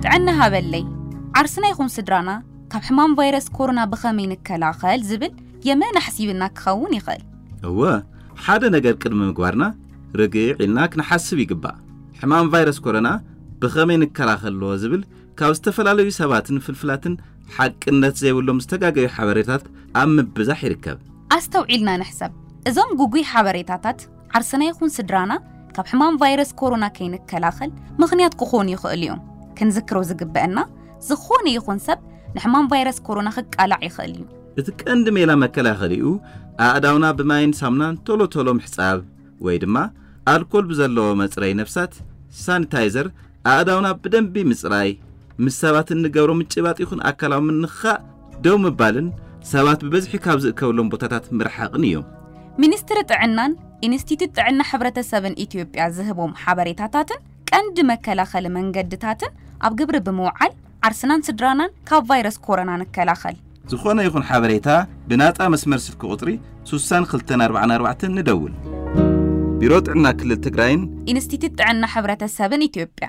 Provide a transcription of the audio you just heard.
ጥዕና ሃበለይ። ዓርስና ይኹን ስድራና ካብ ሕማም ቫይረስ ኮሮና ብኸመይ ንከላኸል ዝብል የመን ኣሕሲብና ክኸውን ይኽእል። እወ፣ ሓደ ነገር ቅድሚ ምግባርና ርግዕ ኢልና ክንሓስብ ይግባእ። ሕማም ቫይረስ ኮሮና ብኸመይ ንከላኸሎ ዝብል ካብ ዝተፈላለዩ ሰባትን ፍልፍላትን ሓቅነት ዘይብሎም ዝተጋገዩ ሓበሬታት ኣብ ምብዛሕ ይርከብ። ኣስተውዒልና ንሕሰብ። እዞም ጉጉይ ሓበሬታታት ዓርስና ይኹን ስድራና ካብ ሕማም ቫይረስ ኮሮና ከይንከላኸል ምኽንያት ክኾኑ ይኽእሉ እዮም። ክንዝክሮ ዝግበአና፣ ዝኾነ ይኹን ሰብ ንሕማም ቫይረስ ኮሮና ክቃላዕ ይኽእል እዩ። እቲ ቀንዲ ሜላ መከላኸሊኡ ኣእዳውና ብማይን ሳሙናን ቶሎ ቶሎ ምሕጻብ ወይ ድማ ኣልኮል ብዘለዎ መጽረይ ነፍሳት ሳኒታይዘር ኣእዳውና ብደንቢ ምጽራይ፣ ምስ ሰባት እንገብሮ ምጭባጥ ይኹን ኣካላዊ ምንኻእ ደው ምባልን ሰባት ብበዝሒ ካብ ዝእከብሎም ቦታታት ምርሓቕን እዮም። ሚኒስትሪ ጥዕናን ኢንስቲትዩት ጥዕና ሕብረተሰብን ኢትዮጵያ ዝህቦም ሓበሬታታትን ቀንዲ መከላኸሊ መንገድታትን ኣብ ግብሪ ብምውዓል ዓርስናን ስድራናን ካብ ቫይረስ ኮሮና ንከላኸል። ዝኾነ ይኹን ሓበሬታ ብናጻ መስመር ስልኪ ቁጽሪ ሱሳን ክልተን ኣርባዓን ኣርባዕተን ንደውል። ቢሮ ጥዕና ክልል ትግራይን ኢንስቲትዩት ጥዕና ሕብረተሰብን ኢትዮጵያ።